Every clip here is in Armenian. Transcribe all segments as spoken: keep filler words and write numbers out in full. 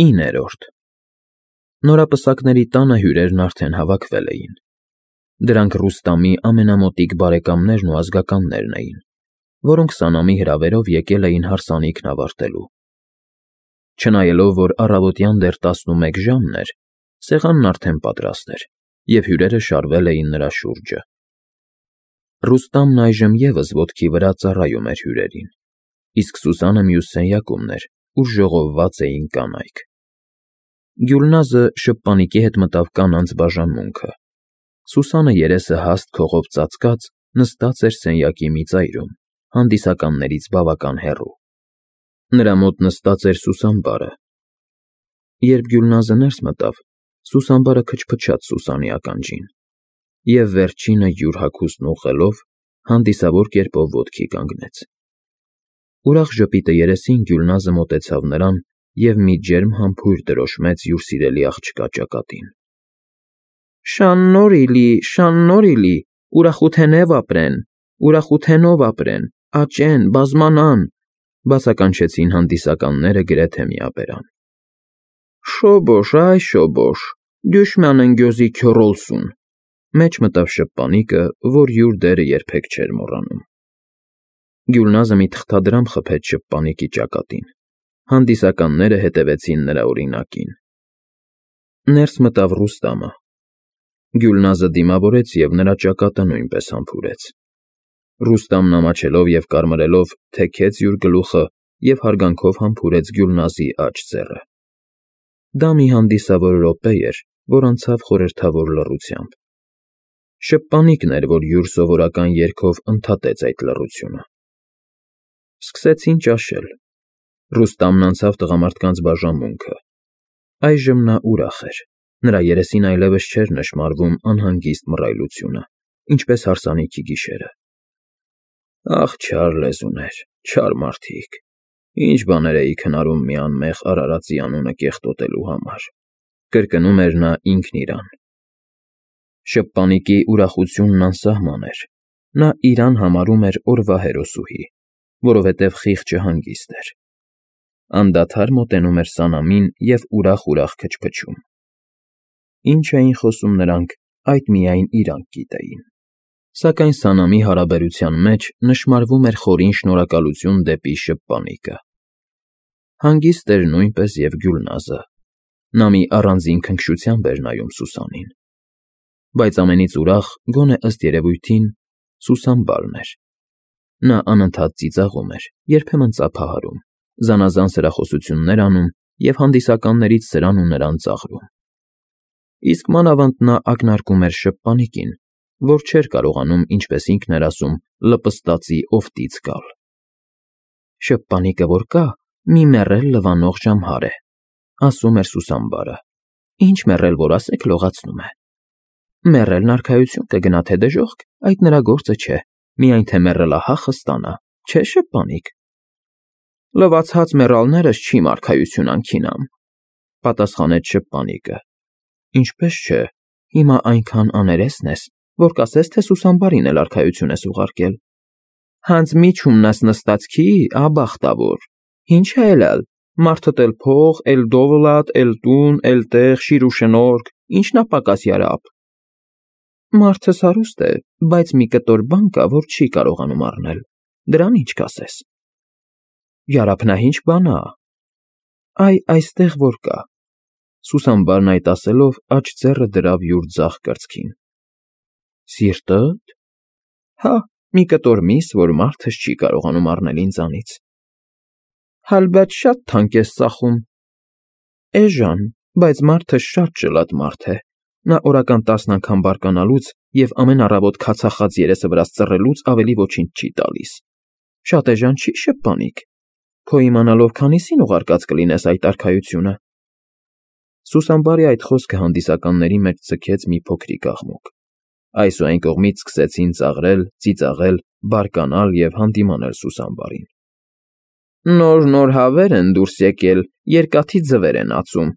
Իններորդ Նորապսակների տանը հյուրերն արդեն հավաքվել էին. դրանք Ռուստամի ամենամոտիկ բարեկամներն ու ազգականներն էին, որոնք սանամի հրավերով եկել էին հարսանիքն ավարտելու։ Չնայելով, որ առավոտյան դեռ տասնմեկ ժամն էր, սեղանն արդեն պատրաստ էր, և հյուրերը շարվել էին նրա շուրջը։ Ռուստամն այժմ ևս ոտքի վրա ծառայում էր հյուրերին, իսկ Սուսանը մյուս սենյակումն էր, ուր ժողովված էին կանայք։ Գյուլնազը շփպանիկի հետ մտավ կանանց բաժանմունքը։ Սուսանը երեսը հաստ քողով ծածկած նստած էր սենյակի մի ծայրում, հանդիսականներից բավական հեռու։ Նրա մոտ նստած էր Սուսանբարը։ Երբ Գյուլնազը ներս մտավ, Սուսանբարը քչփչաց Սուսանի ականջին և վերջինը յուր հագուստն ուղղելով, հանդիսավոր կերպով ոտքի կանգնեց։ Ուրախ ժպիտը երեսին Գյուլնազը մոտեցավ նրան և մի ջերմ համբույր տրոշմեց յուր սիրելի աղջկա ճակատին։ Շան֊նոր֊իլի, շան֊նոր֊իլի, ուրախութենև ապրեն, ուրախութենով ապրեն, աճեն, բազմանան, բացականչեցին հանդիսականները գրեթե միաբերան։ Շոբոշ, այ շոբոշ, դյուշմանն գյոզի քյոռոլսուն, մեջ մտավ շփպանիկը, որ յուր դերը երբեք չէր մոռանում։ Գյուլնազը մի թղթադրամ խփեց շփպանիկի ճակատին։ Հանդիսականները հետևեցին նրա օրինակին։ Ներս մտավ Ռուստամը։ Գյուլնազը դիմավորեց և նրա ճակատը նույնպես համբուրեց։ Ռուստամն ամաչելով և կարմրելով թեքեց յուր գլուխը և հարգանքով համբուրեց Գյուլնազի աջ ձեռը։ Դա մի հանդիսավոր րոպե էր, որ անցավ խորհրդավոր լռությամբ։ Շփպանիկն էր, որ յուր սովորական երգով ընդհատեց այդ լռությունը։ Սկսեցին ճաշել։ Ռուստամն անցավ տղամարդկանց բաժանմունքը։ Այժմ նա ուրախ էր։ Նրա երեսին այլևս չէր նշմարվում անհանգիստ մռայլությունը, ինչպես հարսանիքի գիշերը։ Ախ, չար լեզուներ, չար մարդիկ, ինչ բաներ էիք հնարում մի անմեղ արարածի անունը կեղտոտելու համար, կրկնում էր նա ինքն իրան։ Շփպանիկի ուրախությունն անսահման էր։ Նա իրան համարում էր օրվա հերոսուհի, որովհետև խիղճը հանգիստ էր։ Անդադար մոտենում էր սանամին և ուրախ֊ուրախ քչփչում։ Ինչ էին խոսում նրանք, այդ միայն իրանք գիտեին։ Սակայն սանամի հարաբերության մեջ նշմարվում էր խորին շնորհակալություն դեպի շփպանիկը։ Հանգիստ էր նույնպես և Գյուլնազը։ Նա մի առանձին քնքշությամբ էր նայում Սուսանին։ Բայց ամենից ուրախ, գոնե ըստ երևույթին, Սուսանբարն էր։ Նա անընդհատ ծիծաղում էր, երբեմն ծափահարում, զանազան սրախոսություններ անում և հանդիսականներից սրան ու նրան ծաղրում։ Իսկ մանավանդ նա ակնարկում էր շփպանիկին, որ չէր կարողանում, ինչպես ինքն էր ասում, լպստածի օֆտից գալ։ Շփպանիկը որ կա, մի մեռել լվանող ժամհար է, ասում էր Սուսանբարը, ինչ մեռել որ ասեք, լողացնում է։ Մեռելն արքայություն կգնա, թե դժոխք, այդ նրա գործը չէ, միայն թե մեռելահախը ստանա, չէ՞ շփպանիկ։ Լվացած մեռալներս չիմ արքայություն անքինամ, պատասխանեց շփպանիկը։ Ինչպես չէ, հիմա այնքան աներեսն ես, որ կասես, թե Սուսանբարին էլ արքայություն ես ուղարկել։ Հանձ միջումն ես նստածքի, աբախտավոր, ինչ է ելալ, մարդդ էլ փող, էլ դովլատ, էլ տուն, էլ տեղ, շիր ու շնորհք, ինչն ա պակաս յարապ։ Մարդս հարուստ է, բայց մի կտոր բան կա, որ չի կարողանում առնել, դրան ինչ կասես։ Յարափն ա ինչ բան ա։ Այ այստեղ որ կա։ Սուսանբարն այդ ասելով աջ ձեռը դրավ յուր ձախ կրծքին։ Սիրտդ։ Հա, մի կտոր միս, որ մարդս չի կարողանում առնել ինձանից։ Հալբათ շատ թանկ ես ծախում։ Էժան, բայց մարդը շատ ջլատ մարդ է։ Նա օրական տասն անգամ բարկանալուց և ամեն առավոտ քացախած երեսը վրաս ծռելուց ավելի ոչինչ չի տալիս։ Շատ էժան չի շփպանիկ։ Քո իմանալով քանիսին ուղարկած կլինես այդ արքայությունը։ Սուսանբարի այդ խոսքը հանդիսականների մեջ ձգեց մի փոքրիկ աղմուկ։ Այս ու այն կողմից սկսեցին ծաղրել, ծիծաղել, բարկանալ և հանդիմանել Սուսանբարին։ Նոր֊նոր հավեր են դուրս եկել, երկաթի ձվեր են ածում,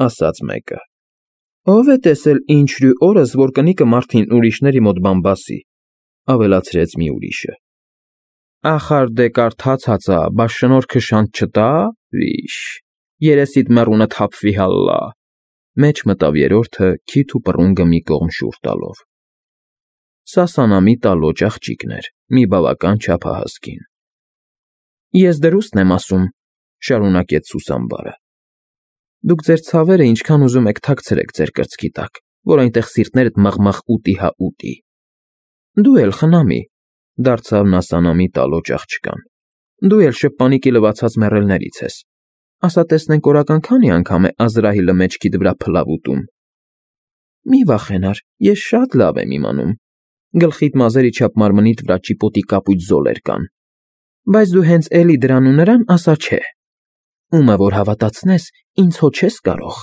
ասաց մեկը։ Ո՞վ է տեսել ինչ֊ρու օրս, որ կնիկը մարդին ուրիշների մոտ բան բասի, ավելացրեց մի ուրիշը։ Ախար դե կարդաց հացա, բա շնորհքը շանտ չտա, վիշ։ երեսիդ մեռունը թափվի հալլա, մեջ մտավ երրորդը քիթ ու պռունգը մի կողմ շուռ տալով։ Սա Սանամի տալոճ աղջիկն էր, մի բավական չափահաս կին։ Ես դրուստն եմ ասում, շարունակեց Սուսամբարը։ Դուք ձեր ցավերը ինչքան ուզում եք թաքցրեք ձեր կրծքի տակ, որ այնտեղ սիրտներդ մաղմաղ ուտի հա ուտի։ Դու էլ խնամի, դարձավ նա Սանամի տալոճ աղջկան։ Դու էլ շփպանիկի լվացած մեռելներից ես։ Ասա տեսնենք օրական քանի անգամ է Ազրահիլը մեջքիդ վրա փլավ ուտում։ Մի վախենար, ես շատ լավ եմ իմանում։ Գլխիդ մազերի չափ մարմնիդ վրա ճիպոտի կապույտ զոլեր կան։ Բայց դու հենց էլի դրան ու նրան ասա չէ։ Ումը որ հավատացնես, ինձ հո չես կարող։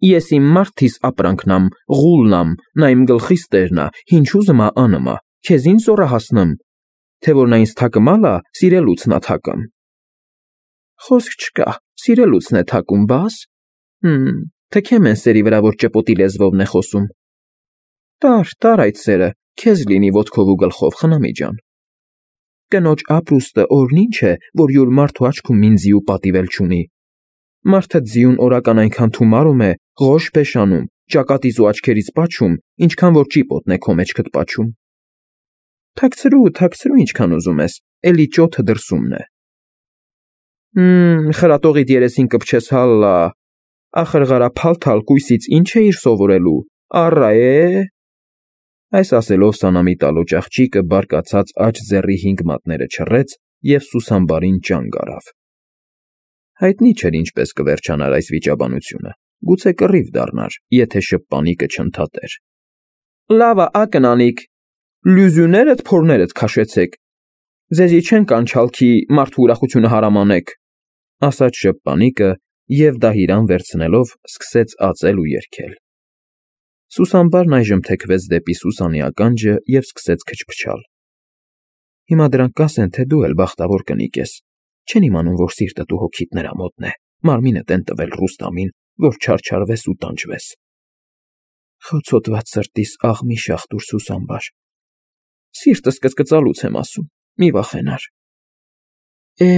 Ես իմ մարդիս ապրանքնամ, ղուլնամ, նա իմ գլխիս տերնա, ինչ ուզմա անմա, քեզ ինչ զորա հասնեմ, թե որ նա ինձ թակմալա, սիրելուցնա թակամ։ Խոսք չկա, սիրելուցն է թակում, բաս։ Հմ, թքեմ են սերի վրա, որ ճպոտի լեզվովն է խոսում։ Տար, տար այդ սերը, քեզ լինի ոտքով ու գլխով, խնամի ջան։ Կնոջ ապրուստը օրն ինչ է, որ յուր մարդու աչքում մին ձիու պատիվել չունի։ Մարդը ձիուն օրական այնքան թումարում է, ղոշ փեշանում, ճակատից ու աչքերից պաչում, ինչքան որ ճիպոտն է քո մեջքդ պաչում։ Թաքցրու, թաքցրու ինչքան ուզում ես, էլի ճոթը դրսումն է։ Հմ, խրատողիդ երեսին կպչես հալլա, ախրղարա փալթալ կույսից ինչ է իր սովորելու, առա է։ Այս ասելով Սանամի տալոճ աղջիկը բարկացած աջ ձեռի հինգ մատները չռեց և Սուսամբարին ճանգ առավ։ Հայտնի չէր ինչպես կվերջանար այս վիճաբանությունը, գուցե կռիվ դառնար, եթե շփպանիկը չընդհատեր։ Լավա, ակնանիկ, լյուզյուներդ փորներդ քաշեցեք։ Ձեզի չեն կանչալքի մարդու ուրախությունը հարամանեք, ասաց շփպանիկը և դահիրան վերցնելով սկսեց ածել ու երգել։ Սուսամբարն այժմ թեքվեց դեպի Սուսանի ականջը և սկսեց քչփչալ։ Հիմա դրանք կասեն, թե դու էլ բախտավոր կնիկ ես, չեն իմանում, որ սիրտդ ու հոգիդ նրա մոտն է, մարմինդ են տվել Ռուստամին, որ չարչարվես ու տանջվես։ Խոցոտված սրտիս աղմի շախտուր Սուսամբար։ Սիրտս կծկծալուց եմ ասում, մի վախենար։ Է,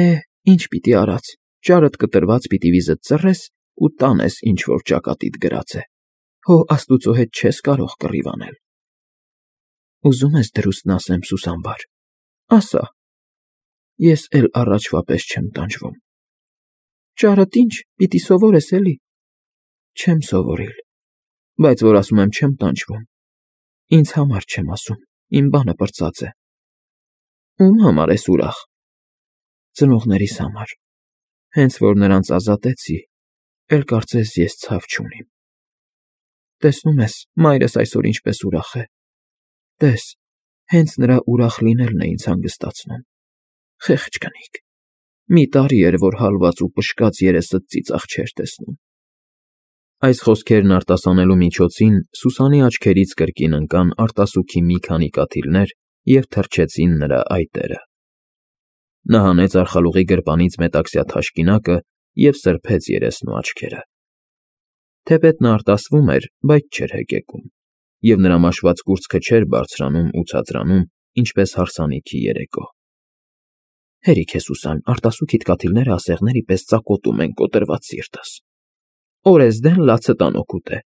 ինչ պիտի արած, ճարդ կտրված պիտի վիզդ ծռես ու տանես ինչ որ ճակատիդ գրած է։ Հո աստուծո հետ չես կարող կռիվ անել։ Ուզում ես դրուստն ասեմ, Սուսամբար, ասա։ Ես էլ առաջվա պես չեմ տանջվում։ Ճարդ ինչ, պիտի սովորես էլի։ Չեմ սովորիլ, բայց որ ասում եմ չեմ տանջվում։ Ինձ համար չեմ ասում, իմ բանը պրծած է։ Ում համար ես ուրախ։ Ծնողներիս համար։ Հենց որ նրանց ազատեցի, էլ կարծես ես ցավ չունիմ։ Տեսնում ես, մայրս այսօր ինչպես ուրախ է։ Տես, հենց նրա ուրախ լինելն է ինձ հանգստացնում։ Խեղճ կնիկ։ Մի տարի էր, որ հալված ու պշկած երեսդ ծիծաղ չէր տեսնում։ Այս խոսքերն արտասանելու միջոցին Սուսանի աչքերից կրկին ընկան արտասուքի մի քանի կաթիլներ և թռչեցին նրա այտերը։ Նա հանեց արխալուղի գրպանից մետաքսյա թաշկինակը և սրբեց երեսն ու աչքերը։ Թեպետ նա արտասվում էր, բայց չէր հեկեկում, և նրա մաշված կուրծքը չէր բարձրանում ու ցածրանում, ինչպես հարսանիքի երեկո։ Հերիք է, Սուսան, արտասուքիդ կաթիլները ասեղների պես ծակոտում են կոտրված սիրտս։ Օրեսդեն լացը տանոքուտ է։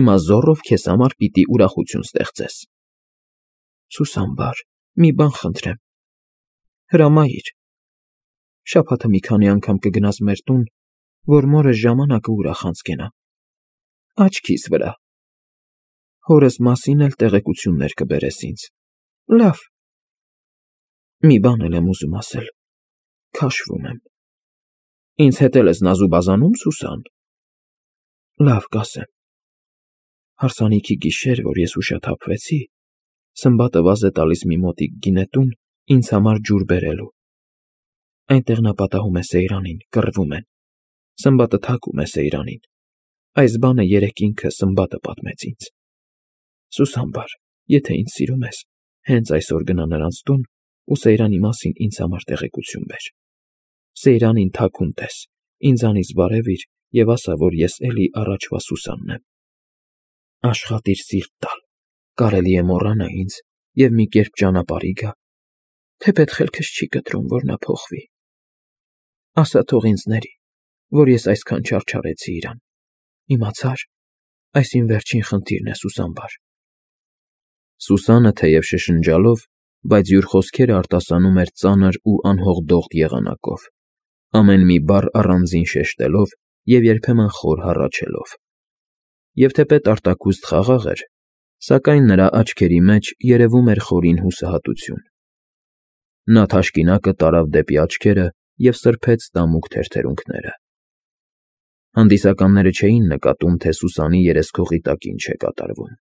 Հիմա զոռով քեզ համար պիտի ուրախություն ստեղծես։ Սուսամբար, մի բան խնդրեմ։ Հրամայիր։ Շաբաթը մի քանի անգամ կգնաս մեր տուն, որ մորս ժամանակը ուրախ անցկենա։ Աչքիս վրա։ Հորս մասին էլ տեղեկություններ կբերես ինձ։ Լավ։ Մի բան էլ եմ ուզում ասել։ Քաշվում եմ։ Ինձ հետ էլ ես նազուբազանում, Սուսան։ Լավ, կասեմ։ Հարսանիքի գիշեր, որ ես ուշաթափվեցի, Սմբատը վազ է տալիս մի մոտիկ գինետուն ինձ համար ջուր բերելու։ Այնտեղ նա պատահում է Սեյրանին, կռվում են։ Սմբատը թակում է Սեյրանին։ Այս բանը երեկ ինքը Սմբատը պատմեց ինձ։ Սուսամբար, եթե ինձ սիրում ես, հենց այսօր գնա նրանց տուն ու Սեյրանի մասին ինձ համար տեղեկություն բեր։ Սեյրանին թաքուն տես, ինձանից բարևիր և ասա, որ ես էլի առաջվա Սուսանն եմ։ Աշխատիր սիրտ տալ, կարելի է մոռանա ինձ և մի կերպ ճանապարհի գա, թեպետ խելքս չի կտրում, որ նա փոխվի։ Ասա թող ինձ ների, որ ես այսքան չարչարեցի իրան։ Իմացա՞ր, այս իմ վերջին խնդիրն է, Սուսանբար։ Սուսանը, թեև շշնջալով, բայց յուր խոսքերը արտասանում էր ծանր ու անհողդող եղանակով, ամեն մի բառ առանձին շեշտելով և երբեմն խոր հառաչելով։ Եվ թեպետ արտաքուստ խաղաղ էր, սակայն նրա աչքերի մեջ երևում էր խորին հուսահատություն։ Նա թաշկինակը տարավ դեպի աչքերը և սրբեց տամուկ թերթերունքները։ Հանդիսականները չէին նկատում, թե Սուսանի երեսքողի տակ ինչ է կատարվում.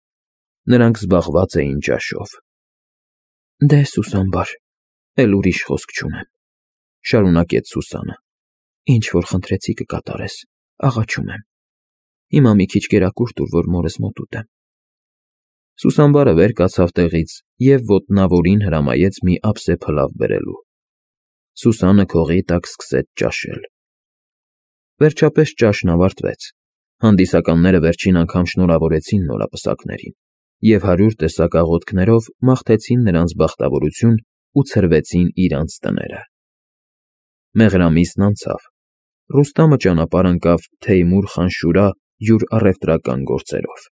նրանք զբաղված էին ճաշով։ Դե, Սուսանբար, էլ ուրիշ խոսք չունեմ,֊ շարունակեց Սուսանը,֊ ինչ որ խնդրեցի կկատարես, աղաչում եմ։ Հիմա մի քիչ կերակուր տուր, որ մորս մոտ ուտեմ։ Սուսանբարը վեր կացավ տեղից և ոտնավորին հրամայեց մի ափսե փլավ բերելու։ Սուսանը քողի տակ սկսեց ճաշել։ Վերջապես ճաշն ավարտվեց, հանդիսականները վերջին անգամ շնորհավորեցին նորապսակներին և հարյուր տեսակ աղոթքներով մաղթեցին նրանց բախտավորություն ու ցրվեցին իրանց տները։ Մեղրամիսն անցավ, Ռուստամը ճանապարհ ընկավ Թեյմուր խան Շուրա յուր առևտրական գործերով։